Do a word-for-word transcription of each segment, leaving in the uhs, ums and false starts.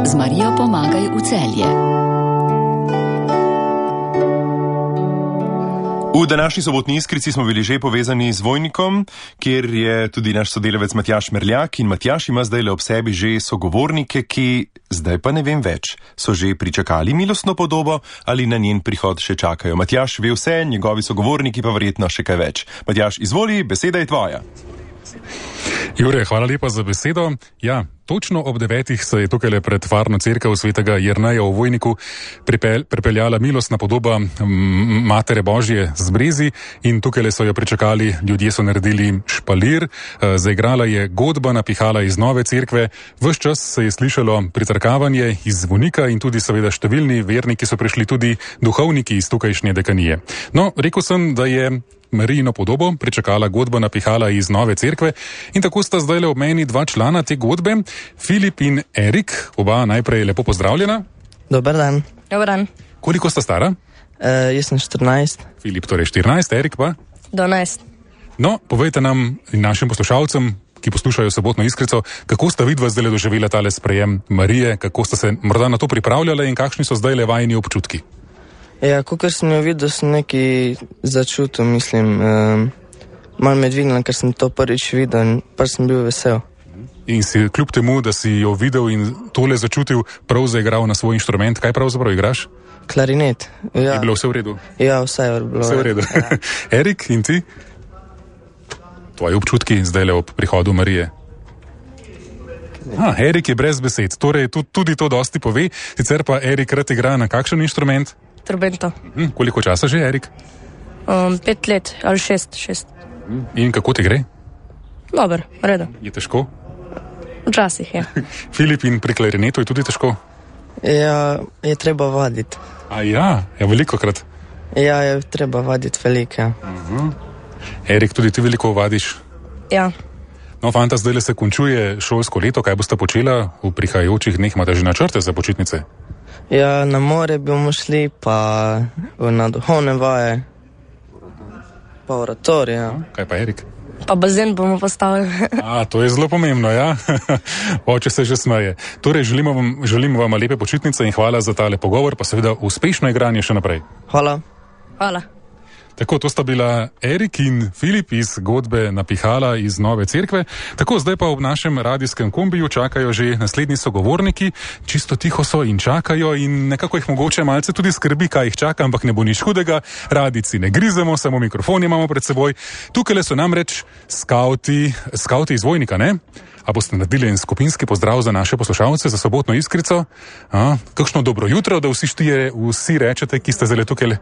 Z Marijo Pomagaj v Celje. V današnji sobotni Iskrici smo bili že povezani z Vojnikom, kjer je tudi naš sodelavec Matjaž Merljak in Matjaž ima zdaj le ob sebi že sogovornike, ki, zdaj pa ne vem več, so že pričakali milostno podobo ali na njen prihod še čakajo. Matjaž ve vse, njegovi sogovorniki pa verjetno še kaj več. Matjaž, izvoli, beseda je tvoja. Jure, hvala lepa za besedo. Ja, točno ob devetih se je tukaj pred varno cerkev svetega Jerneja v Vojniku pripel, pripeljala milostna podoba Matere Božje z Brezi in tukaj so jo pričakali, ljudje so naredili špalir, zaigrala je godba, napihala iz nove cerkve, ves čas se je slišalo pritrkavanje iz zvonika in tudi seveda številni verniki so prišli, tudi duhovniki iz tukajšnje dekanije. No, rekel sem, da je Marijino podobo pričakala godba, napihala iz nove cerkve in tako sta zdaj le ob meni dva člana te godbe, Filip in Erik, oba najprej lepo pozdravljena. Dobar dan. Dobar dan. Koliko sta stara? Uh, jaz sem štirinajst. Filip torej štirinajst, Erik pa? dvanajst. No, povejte nam in našim poslušalcem, ki poslušajo sobotno Iskrico, kako sta vidva zdaj doživela tale sprejem Marije, kako sta se morda na to pripravljala in kakšni so zdaj le vajini občutki? Ja, kakor sem jo videl, sem nekaj začutil, mislim, um, malo me dvignila, ker sem to prvič videl in pa sem bil vesel. In si kljub temu, da si jo videl in tole začutil, prav zaigral na svoj inštrument, kaj pravzaprav igraš? Klarinet. Ja. Je bilo vse v redu? Ja, vse je bilo vse v redu. Ja. Erik, in ti? Tvoji občutki zdaj le ob prihodu Marije? Ah, Erik je brez besed, torej tudi to dosti pove, sicer pa Erik rad igra na kakšen inštrument? Trobento. Hm, koliko časa že, Erik? Um, pet let ali šest, šest. In kako ti gre? Dobar, redo. Je težko? Včasih, ja. Filip, in pri klarinetu je tudi težko? Ja, je treba vaditi. A ja, je veliko krat? Ja, je treba vaditi veliko, ja. Uh-huh. Erik, tudi ti veliko vadiš? Ja. No, fanta, zdaj se končuje šolsko leto, kaj boste počela v prihajajočih dneh, imate že načrte za počitnice? Ja, na more bomo šli, pa na duhovne vaje, pa oratorije. Ja. Kaj pa, Erik? Pa bazen bomo postavili. A, to je zelo pomembno, ja? Oče se že smeje. Torej, želimo vam, želim vam lepe počitnice in hvala za tale pogovor, pa seveda uspešno igranje še naprej. Hvala. Hvala. Tako, to sta bila Erik in Filip iz godbe Napihala iz nove cerkve. Tako, zdaj pa v našem radijskem kombiju čakajo že naslednji sogovorniki. Čisto tiho so in čakajo in nekako jih mogoče malce tudi skrbi, kaj jih čaka, ampak ne bo nič hudega. Radici ne grizemo, samo mikrofon imamo pred seboj. Tukaj so namreč skauti, skauti iz Vojnika, ne? A boste naredili en skupinski pozdrav za naše poslušalce, za sobotno Iskrico? A, kakšno dobro jutro, da vsi štije, vsi rečete, ki ste zdaj tukaj?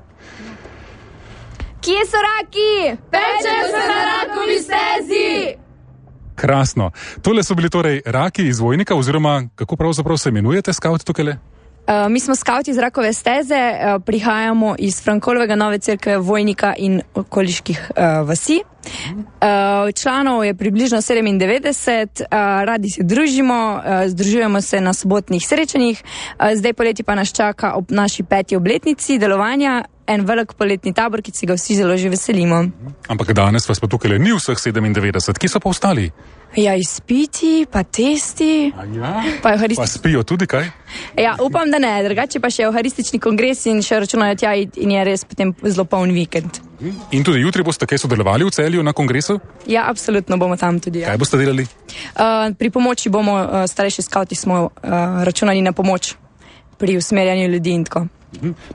Kje so raki? Pečejo se na rakovi stezi! Krasno. Tole so bili torej raki iz Vojnika, oziroma kako pravzaprav se imenujete, skauti tukaj? Uh, mi smo skauti iz Rakove steze, uh, prihajamo iz Frankolovega nove cerkve Vojnika in okoliških uh, vasi. Uh, članov je približno sedemindevetdeset, uh, radi se družimo, uh, združujemo se na sobotnih srečanjih, uh, zdaj poleti pa nas čaka ob naši peti obletnici delovanja en velik poletni tabor, ki se ga vsi zelo že veselimo. Ampak danes vas pa tukaj ni vseh sedemindevetdeset, ki so pa ostali? Ja, izpiti, pa testi, ja? pa evharistični. Pa spijo tudi kaj? Ja, upam, da ne, drugače pa še evharistični kongres in še računajo tja in je res potem zelo poln vikend. In tudi jutri boste kaj sodelovali v Celju na kongresu? Ja, absolutno bomo tam tudi. Ja. Kaj boste delali? Uh, pri pomoči bomo, uh, starejši skauti smo uh, računali na pomoč pri usmerjanju ljudi in tako.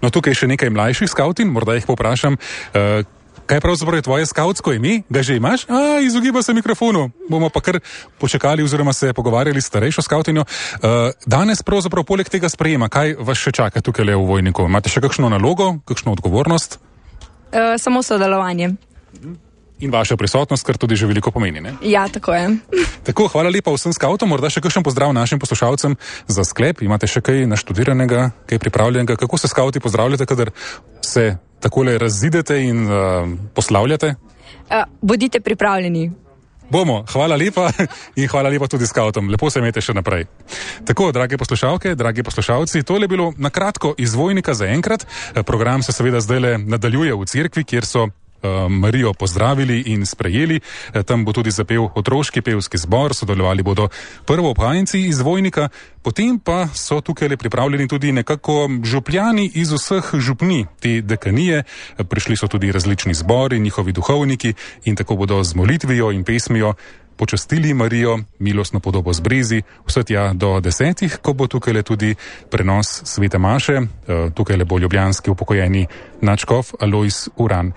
No, tukaj je še nekaj mlajših skautin, morda jih poprašam, uh, kaj pravzaprav je tvoje skautsko ime? Ga že imaš? A, izogiba se mikrofonu. Bomo pa kar počakali oziroma se pogovarjali s starejšo skautinjo. Uh, danes pravzaprav poleg tega sprejema, kaj vas še čaka tukaj le v Vojniku? Imate še kakšno nalogo, kakšno odgovornost? Uh, samo sodelovanje. In vaša prisotnost, kar tudi že veliko pomeni, ne? Ja, tako je. Tako, hvala lepa vsem skautom, morda še kakšen pozdrav našim poslušalcem za sklep. Imate še kaj naštudiranega, kaj pripravljenega? Kako se skauti pozdravljate, kadar se takole razidete in uh, poslavljate? Uh, bodite pripravljeni. Bomo, hvala lepa in hvala lepa tudi skautom. Lepo se imejte še naprej. Tako, drage poslušalke, dragi poslušalci, tole je bilo na kratko iz Vojnika za enkrat. Program se seveda zdaj nadaljuje v cerkvi, kjer so Marijo pozdravili in sprejeli. Tam bo tudi zapel otroški pevski zbor, sodelovali bodo prvoobhajenci iz Vojnika, potem pa so tukaj le pripravljeni tudi nekako župljani iz vseh župni te dekanije. Prišli so tudi različni zbori, njihovi duhovniki in tako bodo z molitvijo in pesmijo počastili Marijo, milostno podobo z brezi, vse tja do desetih, ko bo tukaj le tudi prenos svete maše. Tukaj le bo ljubljanski upokojeni nadškof Alojz Uran.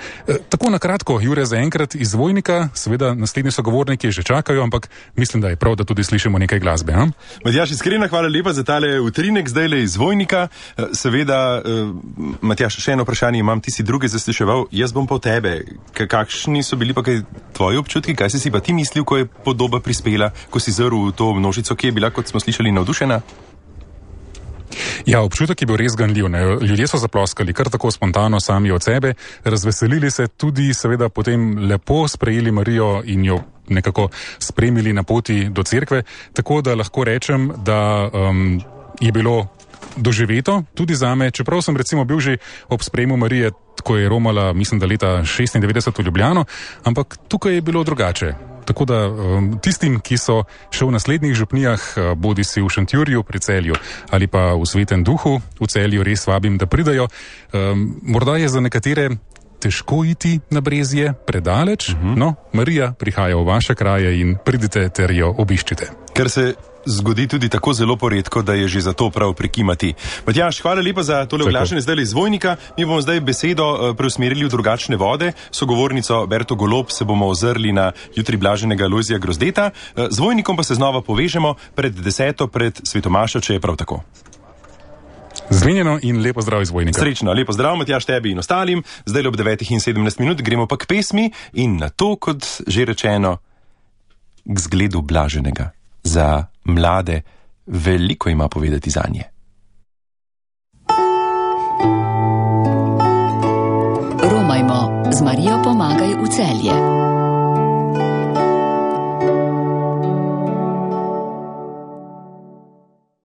Tako na kratko, Jure, zaenkrat iz Vojnika, seveda naslednji sogovorniki že čakajo, ampak mislim, da je prav, da tudi slišimo nekaj glasbe. A? Matjaž, iskrena hvala lepa za tale utrinek zdaj le iz Vojnika. Seveda, Matjaž, še eno vprašanje imam, ti si druge zasliševal, jaz bom pa tebe. Kakšni so bili pa kaj tvoji občutki, kaj si si pa ti mislil, ko je podoba prispela, ko si zrl v to množico, ki je bila, kot smo slišali, navdušena? Ja, občutek je bil res ganljiv. Ne? Ljudje so zaploskali kar tako spontano sami od sebe, razveselili se tudi, seveda potem lepo sprejeli Marijo in jo nekako spremili na poti do cerkve, tako da lahko rečem, da um, je bilo doživeto tudi zame, čeprav sem recimo bil že ob sprejemu Marije, ko je romala, mislim, da leta šestindevetdeset v Ljubljano, ampak tukaj je bilo drugače. Tako da um, tistim, ki so še v naslednjih župnijah, bodi si v Šentjurju pri Celju ali pa v Svetem Duhu v Celju, res vabim, da pridajo. Um, morda je za nekatere težko iti na Brezje, predaleč, uh-huh. No, Marija prihaja v vaše kraje in pridite ter jo obiščite. Ker se zgodi tudi tako zelo poredko, da je že za to prav prikimati. Matjaž, hvala lepa za tole oglašanje zdaj iz Vojnika. Mi bomo zdaj besedo preusmerili v drugačne vode. Sogovornico Berto Golob se bomo ozrli na jutri blaženega Lojzija Grozdeta. Z Vojnikom pa se znova povežemo pred deseto, pred svetomašo, če je prav tako. Zmenjeno in lepo zdrav iz Vojnika. Srečno, lepo zdrav, Matjaž, tebi in ostalim. Zdaj ob devetih in sedemnajst minut gremo pa k pesmi in na to, kot že rečeno, k zgledu blaženega. Za mlade veliko ima povedati zanje. Romajmo, z Marijo pomagaj v Celje.